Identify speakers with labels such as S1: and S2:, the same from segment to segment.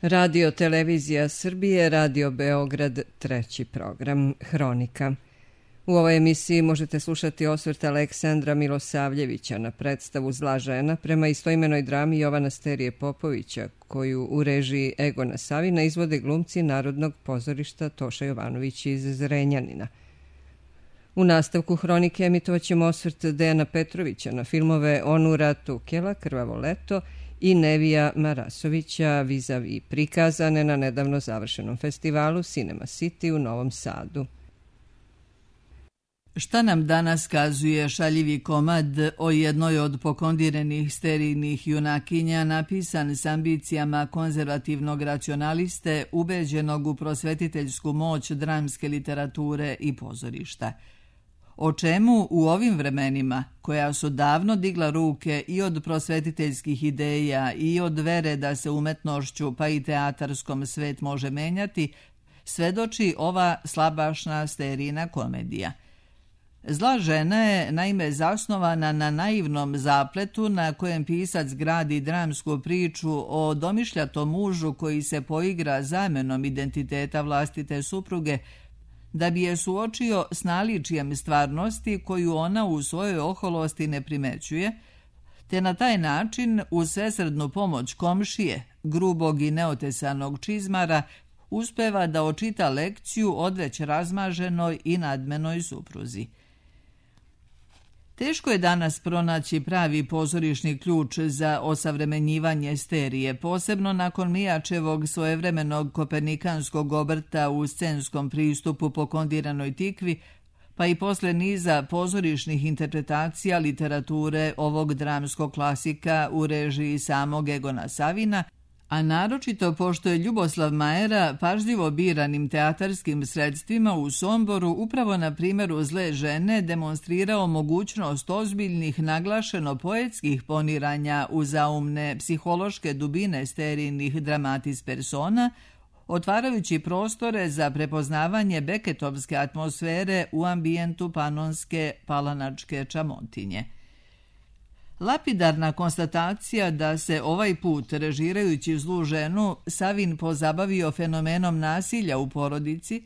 S1: Radio Televizija Srbije, Radio Beograd, treći program, Hronika. U ovoj emisiji možete slušati osvrt Aleksandra Milosavljevića na predstavu Zla žena prema istoimenoj drami Jovana Sterije Popovića, koju u režiji Egona Savina izvode glumci Narodnog pozorišta Toša Jovanović iz Zrenjanina. U nastavku Hronike emitovaćemo osvrt Dejana Petrovića na filmove Onura Tukela, Krvavo leto i Nevija Marasovića Vizavi, prikazane na nedavno završenom festivalu Cinema City u Novom Sadu.
S2: Šta nam danas kazuje šaljivi komad o jednoj od pokondirenih sterijnih junakinja, napisan s ambicijama konzervativnog racionaliste, ubeđenog u prosvetiteljsku moć dramske literature i pozorišta? O čemu u ovim vremenima, koja su davno digla ruke i od prosvetiteljskih ideja i od vere da se umetnošću pa i teatarskom svet može menjati, svedoči ova slabašna sterijna komedija. Zla žena je naime zasnovana na naivnom zapletu na kojem pisac gradi dramsku priču o domišljatom mužu koji se poigra zamenom identiteta vlastite supruge da bi je suočio s naličijem stvarnosti koju ona u svojoj oholosti ne primećuje, te na taj način uz svesrdnu pomoć komšije, grubog i neotesanog čizmara, uspeva da očita lekciju odveć razmaženoj i nadmenoj supruzi. Teško je danas pronaći pravi pozorišni ključ za osavremenjivanje sterije, posebno nakon Mijačevog svojevremenog kopernikanskog obrta u scenskom pristupu pokondiranoj tikvi, pa i posle niza pozorišnih interpretacija literature ovog dramskog klasika u režiji samog Egona Savina, a naročito pošto je Ljuboslav Majera pažljivo biranim teatarskim sredstvima u Somboru upravo na primjeru Zle žene demonstrirao mogućnost ozbiljnih naglašeno poetskih poniranja u zaumne psihološke dubine sterijnih dramatis persona, otvarajući prostore za prepoznavanje beketovske atmosfere u ambijentu panonske palanačke čamotinje. Lapidarna konstatacija da se ovaj put, režirajući Zlu ženu, Savin pozabavio fenomenom nasilja u porodici,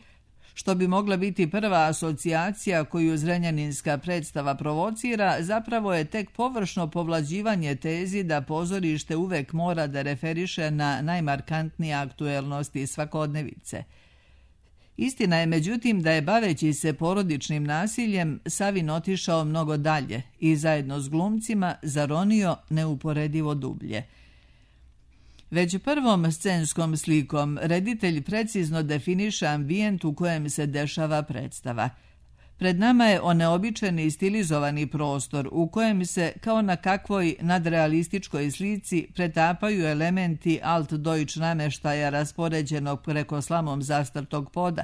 S2: što bi mogla biti prva asocijacija koju zrenjaninska predstava provocira, zapravo je tek površno povlađivanje tezi da pozorište uvek mora da referiše na najmarkantnije aktuelnosti svakodnevice. Istina je međutim da je baveći se porodičnim nasiljem Savin otišao mnogo dalje i zajedno s glumcima zaronio neuporedivo dublje. Već prvom scenskom slikom reditelj precizno definiše ambijent u kojem se dešava predstava. Pred nama je oneobičeni i stilizovani prostor u kojem se, kao na kakvoj nadrealističkoj slici, pretapaju elementi alt-deutsch nameštaja raspoređenog preko slamom zastrtog poda.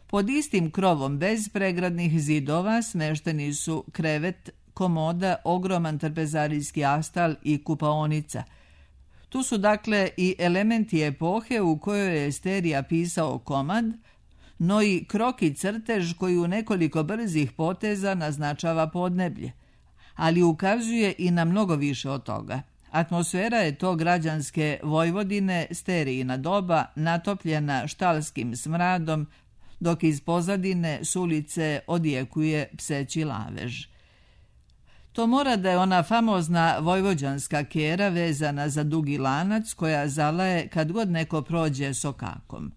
S2: Pod istim krovom, bez pregradnih zidova, smešteni su krevet, komoda, ogroman trpezarijski astal i kupaonica. Tu su dakle i elementi epohe u kojoj je Sterija pisao komad, no i kroki crtež koji u nekoliko brzih poteza naznačava podneblje, ali ukazuje i na mnogo više od toga. Atmosfera je to građanske Vojvodine, Sterijina doba, natopljena štalskim smradom, dok iz pozadine s ulice odjekuje pseći lavež. To mora da je ona famozna vojvođanska kera vezana za dugi lanac koja zalaje kad god neko prođe sokakom.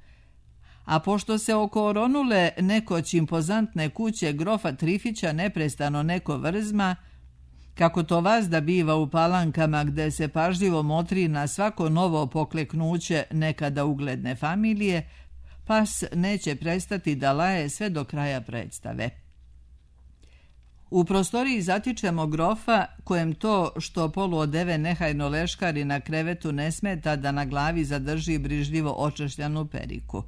S2: A pošto se oko oronule nekoć impozantne kuće grofa Trifića neprestano neko vrzma, kako to vazda biva u Palankama gde se pažljivo motri na svako novo pokleknuće nekada ugledne familije, pas neće prestati da laje sve do kraja predstave. U prostoriji zatičemo grofa kojem to što poluodeve nehajno leškari na krevetu ne smeta da na glavi zadrži brižljivo očešljanu periku.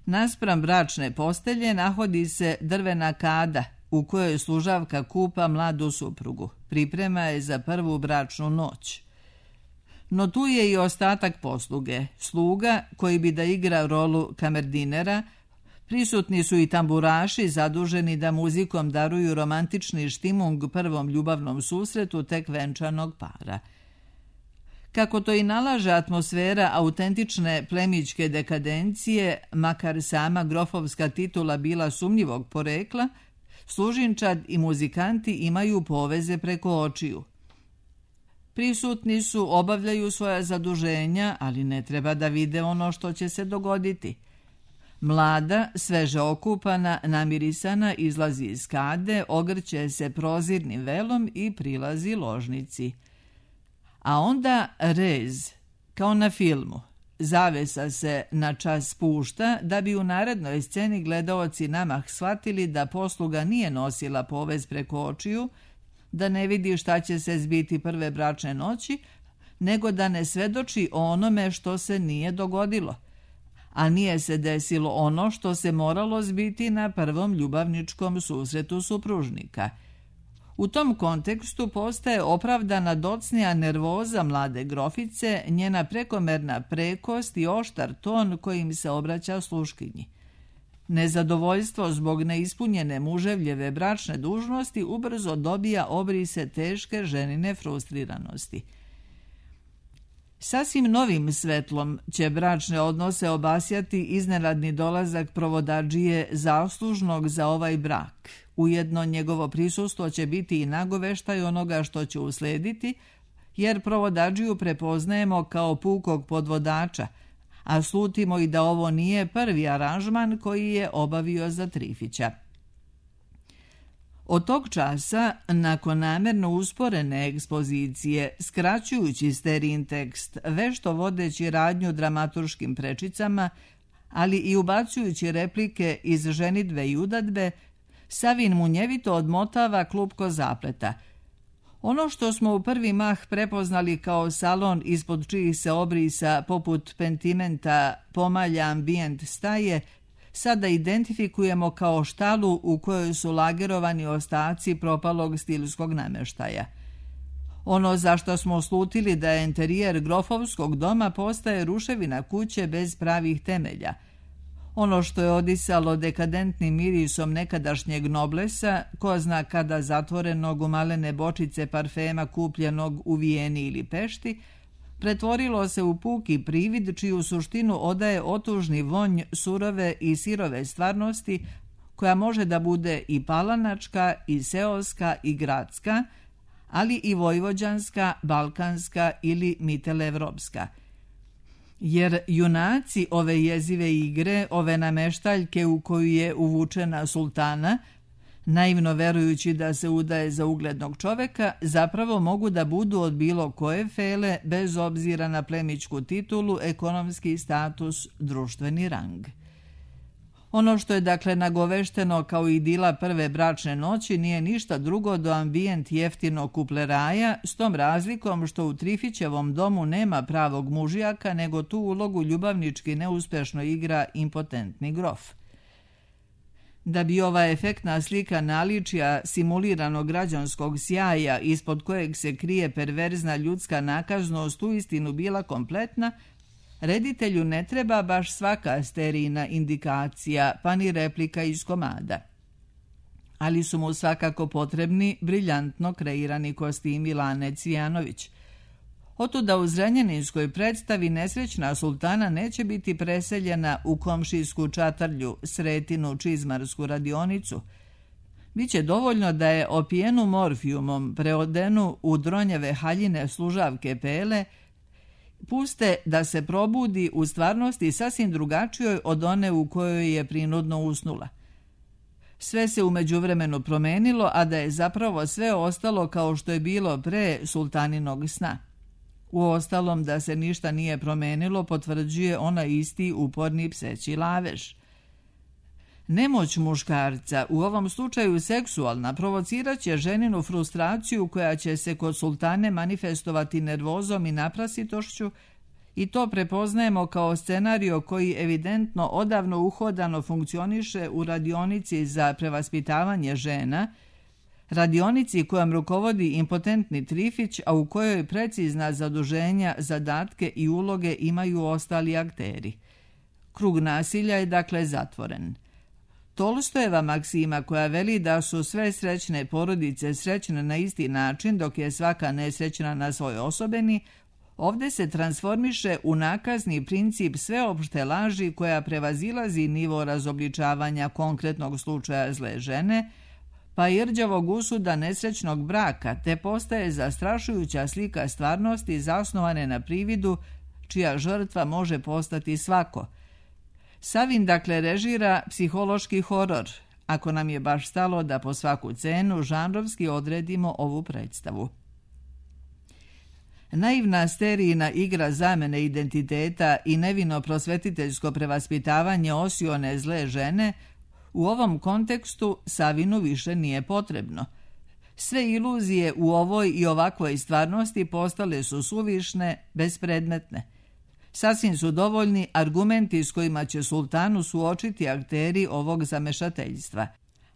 S2: Naspram bračne postelje nahodi se drvena kada u kojoj služavka kupa mladu suprugu. Priprema je za prvu bračnu noć. No tu je i ostatak posluge. Sluga koji bi da igra rolu kamerdinera, prisutni su i tamburaši zaduženi da muzikom daruju romantični štimung prvom ljubavnom susretu tek venčanog para. Kako to i nalaže atmosfera autentične plemićke dekadencije, makar sama grofovska titula bila sumnjivog porekla, služinčad i muzikanti imaju poveze preko očiju. Prisutni su, obavljaju svoja zaduženja, ali ne treba da vide ono što će se dogoditi. Mlada, sveže okupana, namirisana, izlazi iz kade, ogrće se prozirnim velom i prilazi ložnici. A onda rez, kao na filmu. Zavesa se na čas spušta da bi u narednoj sceni gledaoci namah shvatili da posluga nije nosila povez preko očiju, da ne vidi šta će se zbiti prve bračne noći, nego da ne svedoči o onome što se nije dogodilo. A nije se desilo ono što se moralo zbiti na prvom ljubavničkom susretu supružnika. U tom kontekstu postaje opravdana docnija nervoza mlade grofice, njena prekomerna prekost i oštar ton kojim se obraća sluškinji. Nezadovoljstvo zbog neispunjene muževljeve bračne dužnosti ubrzo dobija obrise teške ženine frustriranosti. Sasvim novim svetlom će bračne odnose obasjati iznenadni dolazak provodadžije zaslužnog za ovaj brak. Ujedno njegovo prisustvo će biti i nagoveštaj onoga što će uslediti, jer provodadžiju prepoznajemo kao pukog podvodača, a slutimo i da ovo nije prvi aranžman koji je obavio za Trifića. Od tog časa, nakon namerno usporene ekspozicije, skraćujući sterin tekst, vešto vodeći radnju dramaturškim prečicama, ali i ubacujući replike iz ženidbe i udadbe, Savin munjevito odmotava klupko zapleta. Ono što smo u prvi mah prepoznali kao salon ispod čijih se obrisa poput pentimenta pomalja ambijent staje, sada identifikujemo kao štalu u kojoj su lagerovani ostaci propalog stilskog nameštaja. Ono za što smo slutili da je enterijer grofovskog doma postaje ruševina kuće bez pravih temelja. Ono što je odisalo dekadentnim mirisom nekadašnjeg noblesa, ko zna kada zatvorenog u malene bočice parfema kupljenog u Vijeni ili Pešti, pretvorilo se u puki privid čiju suštinu odaje otužni vonj surove i sirove stvarnosti, koja može da bude i palanačka, i seoska, i gradska, ali i vojvođanska, balkanska ili mitelevropska. Jer junaci ove jezive igre, ove nameštaljke u koju je uvučena sultana, naivno verujući da se udaje za uglednog čoveka, zapravo mogu da budu od bilo koje fele, bez obzira na plemićku titulu, ekonomski status, društveni rang. Ono što je dakle nagovešteno kao idila prve bračne noći nije ništa drugo do ambijent jeftinog kupleraja, s tom razlikom što u Trifićevom domu nema pravog mužijaka, nego tu ulogu ljubavnički neuspešno igra impotentni grof. Da bi ova efektna slika naličja simuliranog građanskog sjaja ispod kojeg se krije perverzna ljudska nakaznost uistinu bila kompletna, reditelju ne treba baš svaka sterijna indikacija, pa ni replika iz komada. Ali su mu svakako potrebni briljantno kreirani kostimi Lane Cvijanović. Otuda u zrenjaninskoj predstavi nesrećna sultana neće biti preseljena u komšijsku čatarlju, Sretinu čizmarsku radionicu. Biće dovoljno da je opijenu morfijumom preodenu u dronjeve haljine služavke Pele, puste da se probudi u stvarnosti sasvim drugačijoj od one u kojoj je prinudno usnula. Sve se u međuvremenu promenilo, a da je zapravo sve ostalo kao što je bilo pre sultaninog sna. Uostalom, da se ništa nije promenilo potvrđuje onaj isti uporni pseći lavež. Nemoć muškarca, u ovom slučaju seksualna, provocirat će ženinu frustraciju koja će se kod sultane manifestovati nervozom i naprasitošću, i to prepoznajemo kao scenario koji evidentno odavno uhodano funkcioniše u radionici za prevaspitavanje žena, radionici kojom rukovodi impotentni Trifić, a u kojoj precizna zaduženja, zadatke i uloge imaju ostali akteri. Krug nasilja je dakle zatvoren. Tolstojeva maksima koja veli da su sve srećne porodice srećne na isti način dok je svaka nesrećna na svoj osobeni, Ovde se transformiše u nakazni princip sveopšte laži koja prevazilazi nivo razobličavanja konkretnog slučaja zle žene, pa i rđavog usuda nesrećnog braka, te postaje zastrašujuća slika stvarnosti zasnovane na prividu, čija žrtva može postati svako. Savin dakle režira psihološki horor, ako nam je baš stalo da po svaku cenu žanrovski odredimo ovu predstavu. Naivna sterijina igra zamene identiteta i nevino prosvetiteljsko prevaspitavanje osione zle žene u ovom kontekstu Savinu više nije potrebno. Sve iluzije u ovoj i ovakvoj stvarnosti postale su suvišne, bespredmetne. Sasvim su dovoljni argumenti s kojima će sultanu suočiti akteri ovog zamešateljstva.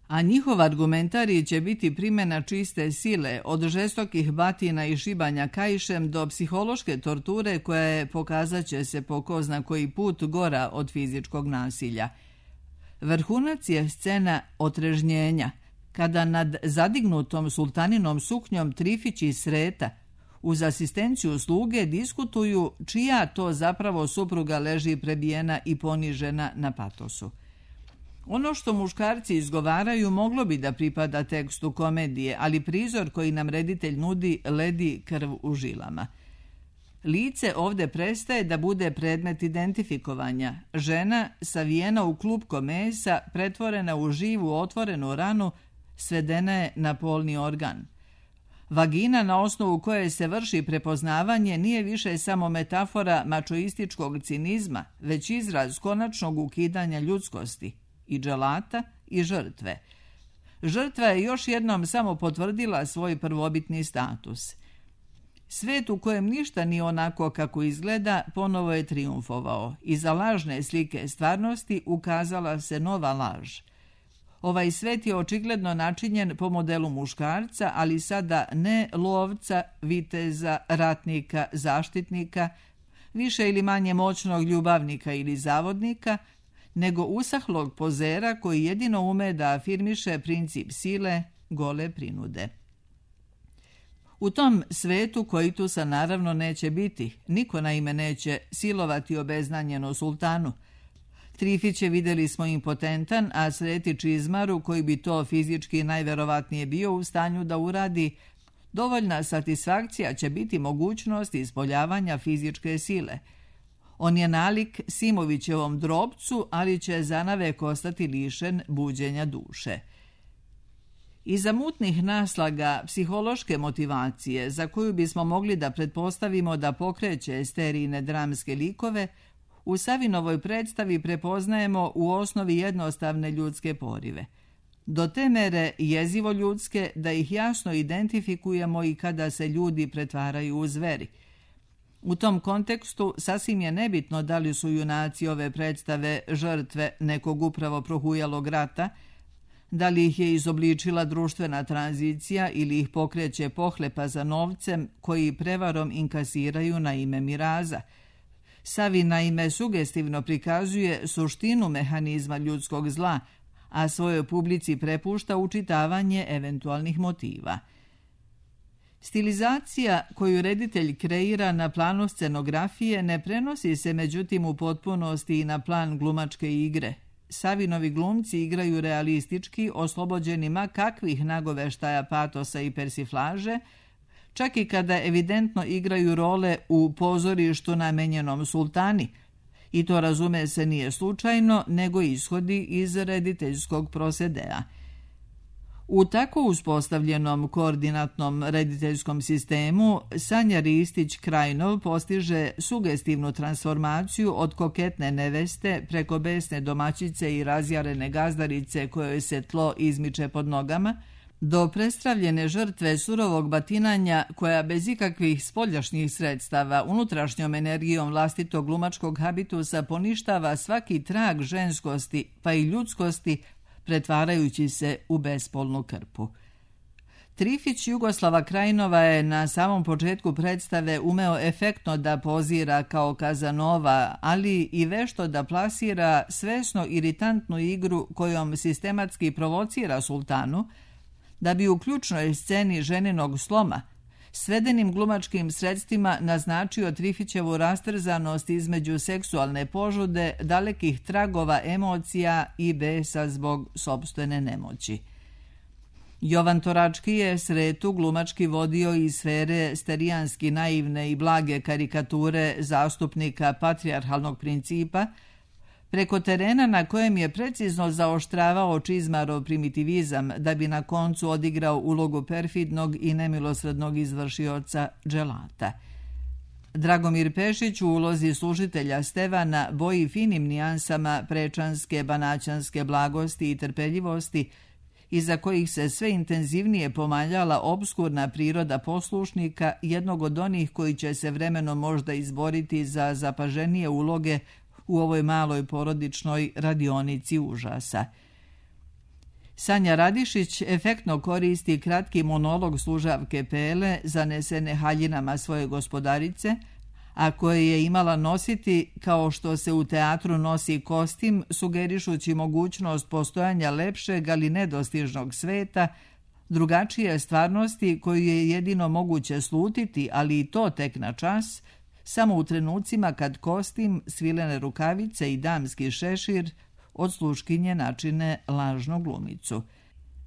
S2: A njihov argumentarij će biti primjena čiste sile, od žestokih batina i šibanja kaišem do psihološke torture koja je, pokazat će se po ko zna koji put, gora od fizičkog nasilja. Vrhunac je scena otrežnjenja, kada nad zadignutom sultaninom suknjom Trifić i Sreta uz asistenciju sluge diskutuju čija to zapravo supruga leži prebijena i ponižena na patosu. Ono što muškarci izgovaraju moglo bi da pripada tekstu komedije, ali prizor koji nam reditelj nudi ledi krv u žilama. Lice ovde prestaje da bude predmet identifikovanja. Žena, savijena u klupko mesa, pretvorena u živu otvorenu ranu, svedena je na polni organ. Vagina na osnovu koje se vrši prepoznavanje nije više samo metafora mačoističkog cinizma, već izraz konačnog ukidanja ljudskosti, i dželata i žrtve. Žrtva je još jednom samo potvrdila svoj prvobitni status. Svet u kojem ništa nije onako kako izgleda ponovo je triumfovao. Iza lažne slike stvarnosti ukazala se nova laž. Ovaj svet je očigledno načinjen po modelu muškarca, ali sada ne lovca, viteza, ratnika, zaštitnika, više ili manje moćnog ljubavnika ili zavodnika, nego usahlog pozera koji jedino ume da afirmiše princip sile, gole prinude. U tom svetu Koitusa naravno neće biti, niko naime neće silovati obeznanjeno sultanu. Trifić je, vidjeli smo, impotentan, a Sreti Čizmaru, koji bi to fizički najverovatnije bio u stanju da uradi, dovoljna satisfakcija će biti mogućnost ispoljavanja fizičke sile. On je nalik Simovićevom drobcu, ali će zanavek ostati lišen buđenja duše. Iza mutnih naslaga psihološke motivacije, za koju bismo mogli da pretpostavimo da pokreće sterijine dramske likove, u Savinovoj predstavi prepoznajemo u osnovi jednostavne ljudske porive. Do te mere jezivo ljudske da ih jasno identifikujemo i kada se ljudi pretvaraju u zveri. U tom kontekstu sasvim je nebitno da li su junaci ove predstave žrtve nekog upravo prohujalog rata, da li ih je izobličila društvena tranzicija ili ih pokreće pohlepa za novcem koji prevarom inkasiraju na ime miraza. Savin naime sugestivno prikazuje suštinu mehanizma ljudskog zla, a svojoj publici prepušta učitavanje eventualnih motiva. Stilizacija koju reditelj kreira na planu scenografije ne prenosi se međutim u potpunosti i na plan glumačke igre. Savinovi glumci igraju realistički, oslobođeni ma kakvih nagoveštaja patosa i persiflaže, čak i kada evidentno igraju role u pozorištu namenjenom sultani, i to, razume se, nije slučajno, nego ishodi iz rediteljskog prosedea. U tako uspostavljenom koordinatnom rediteljskom sistemu Sanja Ristić-Krajnov postiže sugestivnu transformaciju od koketne neveste preko besne domaćice i razjarene gazdarice kojoj se tlo izmiče pod nogama, do prestravljene žrtve surovog batinanja koja bez ikakvih spoljašnjih sredstava unutrašnjom energijom vlastitog glumačkog habitusa poništava svaki trag ženskosti pa i ljudskosti, pretvarajući se u bespolnu krpu. Trifić Jugoslava Krajnova je na samom početku predstave umeo efektno da pozira kao Kazanova, ali i vešto da plasira svesno iritantnu igru kojom sistematski provocira sultanu, da bi u ključnoj sceni ženinog sloma, svedenim glumačkim sredstvima naznačio Trifićevu rastrzanost između seksualne požude, dalekih tragova emocija i besa zbog sopstvene nemoći. Jovan Torački je Sretu glumački vodio iz sfere sterijanski naivne i blage karikature zastupnika patrijarhalnog principa, preko terena na kojem je precizno zaoštravao Čizmarov primitivizam da bi na koncu odigrao ulogu perfidnog i nemilosrednog izvršioca dželata. Dragomir Pešić u ulozi služitelja Stevana boji finim nijansama prečanske, banaćanske blagosti i trpeljivosti, iza kojih se sve intenzivnije pomaljala obskurna priroda poslušnika, jednog od onih koji će se vremenom možda izboriti za zapaženije uloge u ovoj maloj porodičnoj radionici užasa. Sanja Radišić efektno koristi kratki monolog služavke Pele, zanesene haljinama svoje gospodarice, a koje je imala nositi kao što se u teatru nosi kostim, sugerišući mogućnost postojanja lepšeg, ali nedostižnog sveta, drugačije stvarnosti koju je jedino moguće slutiti, ali i to tek na čas, samo u trenucima kad kostim, svilene rukavice i damski šešir od sluškinje načine lažnu glumicu.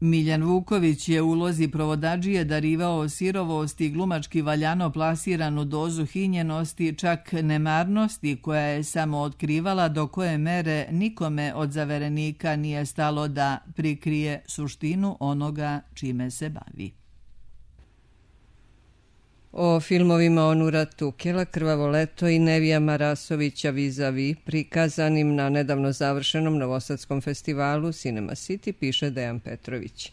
S2: Miljan Vuković je u ulozi provodadžije darivao sirovost i glumački valjano plasiranu dozu hinjenosti, čak nemarnosti koja je samo otkrivala do koje mere nikome od zaverenika nije stalo da prikrije suštinu onoga čime se bavi.
S1: O filmovima Onura Tukela, Krvavo leto i Nevija Marasovića Vis-a-vis, prikazanim na nedavno završenom novosadskom festivalu Cinema City, piše Dejan Petrović.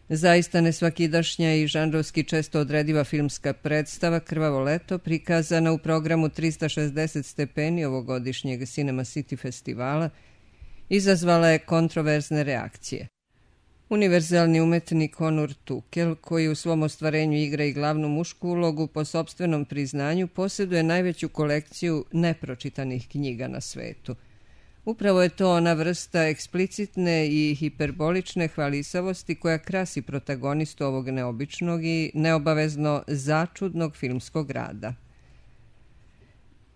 S1: Zaista nesvakidašnja i žanrovski često odrediva filmska predstava Krvavo leto, prikazana u programu 360 stepeni ovogodišnjeg Cinema City festivala, izazvala je kontroverzne reakcije. Univerzalni umetnik Onur Tukel, koji u svom ostvarenju igra i glavnu mušku ulogu, po sopstvenom priznanju posjeduje najveću kolekciju nepročitanih knjiga na svetu. Upravo je to ona vrsta eksplicitne i hiperbolične hvalisavosti koja krasi protagonistu ovog neobičnog i neobavezno začudnog filmskog rada.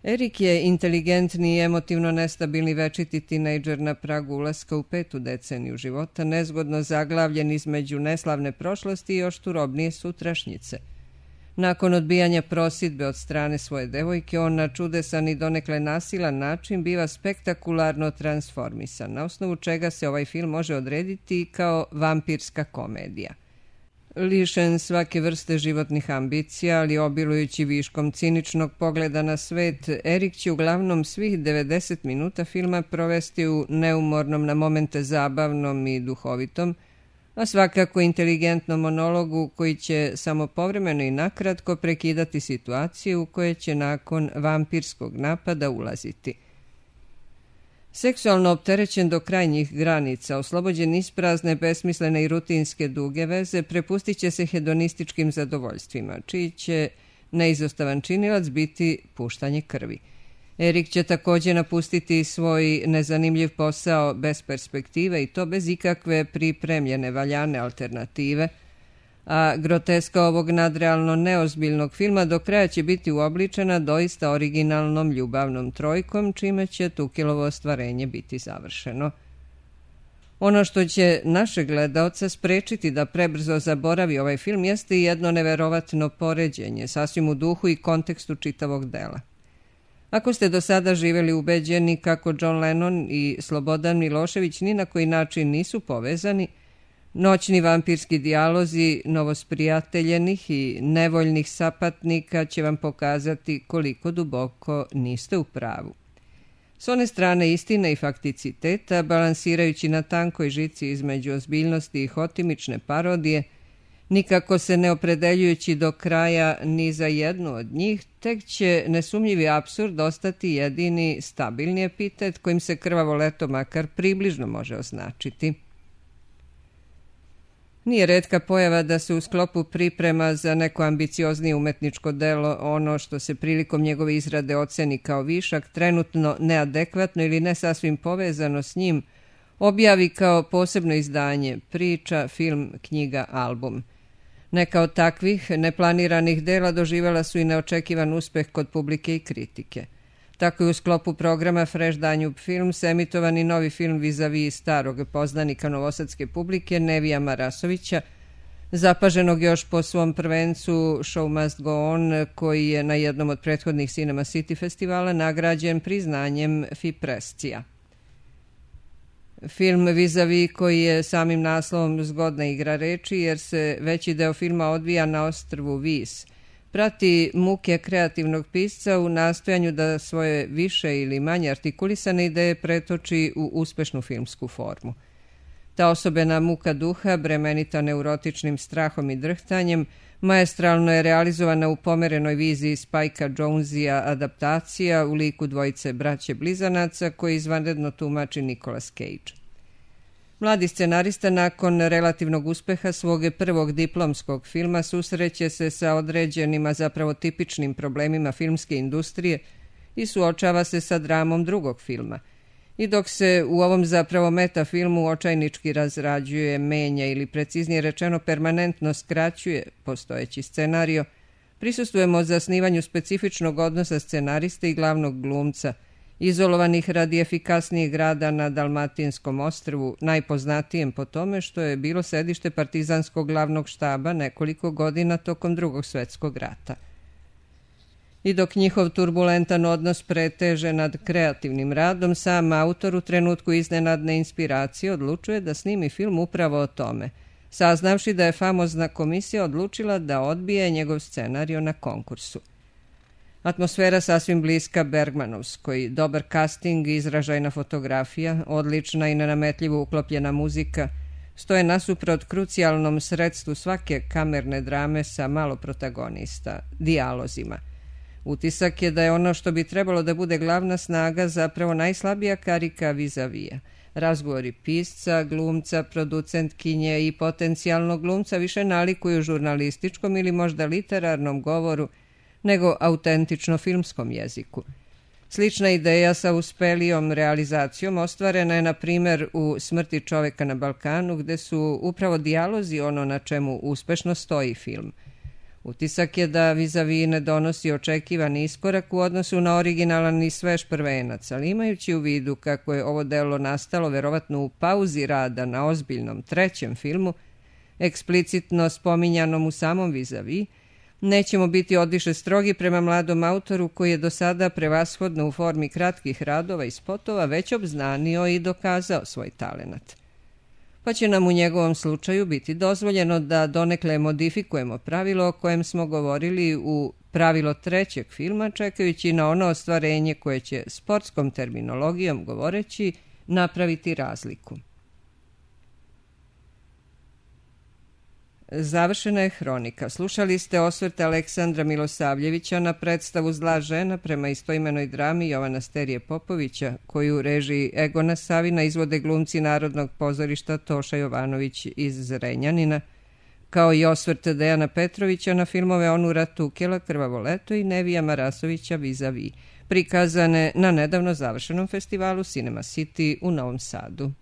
S1: Erik je inteligentni i emotivno nestabilni večiti tinejdžer na pragu ulaska u 5. deceniju života, nezgodno zaglavljen između neslavne prošlosti i još turobnije sutrašnjice. Nakon odbijanja prosidbe od strane svoje devojke, on na čudesan i donekle nasilan način biva spektakularno transformisan, na osnovu čega se ovaj film može odrediti kao vampirska komedija. Lišen svake vrste životnih ambicija, ali obilujući viškom ciničnog pogleda na svet, Erik će uglavnom svih 90 minuta filma provesti u neumornom, na momente zabavnom i duhovitom, a svakako inteligentnom monologu koji će samo povremeno i nakratko prekidati situaciju u koje će nakon vampirskog napada ulaziti. Seksualno opterećen do krajnjih granica, oslobođen isprazne, besmislene i rutinske duge veze, prepustit će se hedonističkim zadovoljstvima, čiji će neizostavan činilac biti puštanje krvi. Erik će također napustiti svoj nezanimljiv posao bez perspektive i to bez ikakve pripremljene valjane alternative, a groteska ovog nadrealno neozbiljnog filma do kraja će biti uobličena doista originalnom ljubavnom trojkom, čime će Tukelovo ostvarenje biti završeno. Ono što će naše gledaoca sprečiti da prebrzo zaboravi ovaj film jeste i jedno neverovatno poređenje, sasvim u duhu i kontekstu čitavog dela. Ako ste do sada živjeli ubeđeni kako John Lennon i Slobodan Milošević ni na koji način nisu povezani, noćni vampirski dijalozi novosprijateljenih i nevoljnih sapatnika će vam pokazati koliko duboko niste u pravu. S one strane istine i fakticiteta, balansirajući na tankoj žici između ozbiljnosti i hotimične parodije, nikako se ne opredeljujući do kraja ni za jednu od njih, tek će nesumnjivi apsurd ostati jedini stabilni epitet kojim se Krvavo leto makar približno može označiti. Nije retka pojava da se u sklopu priprema za neko ambicioznije umetničko delo ono što se prilikom njegove izrade oceni kao višak, trenutno neadekvatno ili ne sasvim povezano s njim, objavi kao posebno izdanje, priča, film, knjiga, album. Neka od takvih neplaniranih dela doživjela su i neočekivan uspeh kod publike i kritike. Tako je u sklopu programa Fresh Danube Films emitovani novi film vis-a-vis starog poznanika novosadske publike Nevija Marasovića, zapaženog još po svom prvencu Show Must Go On, koji je na jednom od prethodnih Cinema City festivala nagrađen priznanjem FIPRESCIA. Film vis-a-vis koji je samim naslovom zgodna igra reči jer se veći deo filma odvija na ostrvu Vis, prati muke kreativnog pisca u nastojanju da svoje više ili manje artikulisane ideje pretoči u uspešnu filmsku formu. Ta osobena muka duha, bremenita neurotičnim strahom i drhtanjem, maestralno je realizovana u pomerenoj viziji Spikea Jonzea adaptacija u liku dvojice braće blizanaca koji izvanredno tumači Nicolas Cage. Mladi scenarista nakon relativnog uspeha svog prvog diplomskog filma susreće se sa određenima zapravo tipičnim problemima filmske industrije i suočava se sa dramom drugog filma. I dok se u ovom zapravo metafilmu očajnički razrađuje, menja ili preciznije rečeno permanentno skraćuje postojeći scenario, prisustvujemo zasnivanju specifičnog odnosa scenariste i glavnog glumca, izolovanih radi efikasnijeg rada na Dalmatinskom ostrvu, najpoznatijem po tome što je bilo sedište partizanskog glavnog štaba nekoliko godina tokom Drugog svjetskog rata. I dok njihov turbulentan odnos preteže nad kreativnim radom, sam autor u trenutku iznenadne inspiracije odlučuje da snimi film upravo o tome, saznavši da je famozna komisija odlučila da odbije njegov scenario na konkursu. Atmosfera sasvim bliska Bergmanovskoj, dobar casting i izražajna fotografija, odlična i nenametljivo uklopljena muzika, stoje nasuprot krucijalnom sredstvu svake kamerne drame sa malo protagonista, dijalozima. Utisak je da je ono što bi trebalo da bude glavna snaga zapravo najslabija karika vis-a-vija. Razgovori pisca, glumca, producentkinje i potencijalnog glumca više nalikuju žurnalističkom ili možda literarnom govoru nego autentično filmskom jeziku. Slična ideja sa uspelijom realizacijom ostvarena je na primjer u Smrti čoveka na Balkanu, gde su upravo dijalozi ono na čemu uspešno stoji film. Utisak je da vis-a-vis ne donosi očekivani iskorak u odnosu na originalan i svež prvenac, ali imajući u vidu kako je ovo delo nastalo verovatno u pauzi rada na ozbiljnom trećem filmu, eksplicitno spominjanom u samom vis-a-vis, nećemo biti odviše strogi prema mladom autoru koji je do sada prevashodno u formi kratkih radova i spotova već obznanio i dokazao svoj talenat. Pa će nam u njegovom slučaju biti dozvoljeno da donekle modifikujemo pravilo o kojem smo govorili u pravilo trećeg filma, čekajući na ono ostvarenje koje će sportskom terminologijom govoreći napraviti razliku. Završena je hronika. Slušali ste osvrt Aleksandra Milosavljevića na predstavu Zla žena prema istoimenoj drami Jovana Sterije Popovića, koju u režiji Egona Savina izvode glumci Narodnog pozorišta Toša Jovanović iz Zrenjanina, kao i osvrt Dejana Petrovića na filmove Onura Tukela Krvavo leto i Nevija Marasovića Vis-a-vis, prikazane na nedavno završenom festivalu Cinema City u Novom Sadu.